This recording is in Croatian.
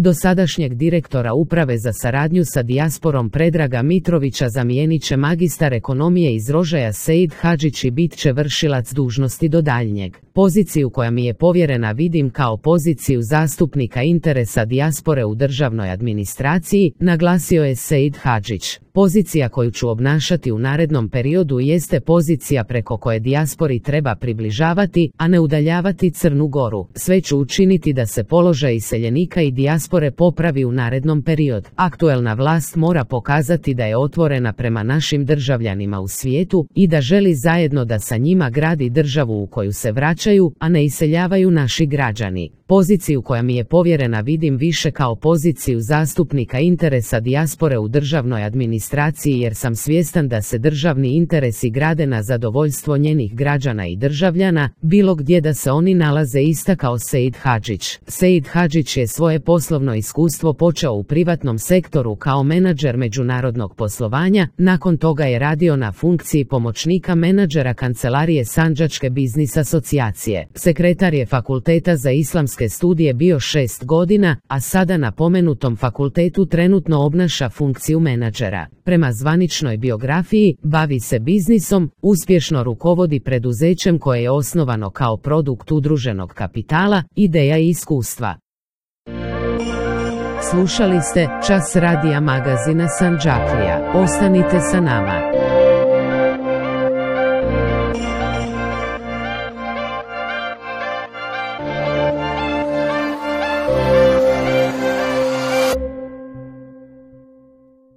Dosadašnjeg direktora uprave za saradnju sa dijasporom Predraga Mitrovića zamijenit će magistar ekonomije iz Rožaja Seid Hadžić i bit će vršilac dužnosti do daljnjeg. Poziciju koja mi je povjerena vidim kao poziciju zastupnika interesa dijaspore u državnoj administraciji, naglasio je Seid Hadžić. Pozicija koju ću obnašati u narednom periodu jeste pozicija preko koje dijaspori treba približavati, a ne udaljavati Crnu Goru. Sve ću učiniti da se položaj iseljenika i dijaspore popravi u narednom periodu. Aktuelna vlast mora pokazati da je otvorena prema našim državljanima u svijetu i da želi zajedno da sa njima gradi državu u koju se vraćaju, a ne iseljavaju naši građani. Poziciju koja mi je povjerena vidim više kao poziciju zastupnika interesa dijaspore u državnoj administraciji jer sam svjestan da se državni interesi grade na zadovoljstvo njenih građana i državljana, bilo gdje da se oni nalaze, istakao Seid Hadžić. Seid Hadžić je svoje poslovno iskustvo počeo u privatnom sektoru kao menadžer međunarodnog poslovanja, nakon toga je radio na funkciji pomoćnika menadžera kancelarije Sandžačke biznis asocijacije. Sekretar je Fakulteta za islamske studije bio 6 godina, a sada na pomenutom fakultetu trenutno obnaša funkciju menadžera. Prema zvaničnoj biografiji, bavi se biznisom, uspješno rukovodi preduzećem koje je osnovano kao produkt udruženog kapitala, ideja i iskustva. Slušali ste Čas radija magazina Sandžaklija. Ostanite sa nama.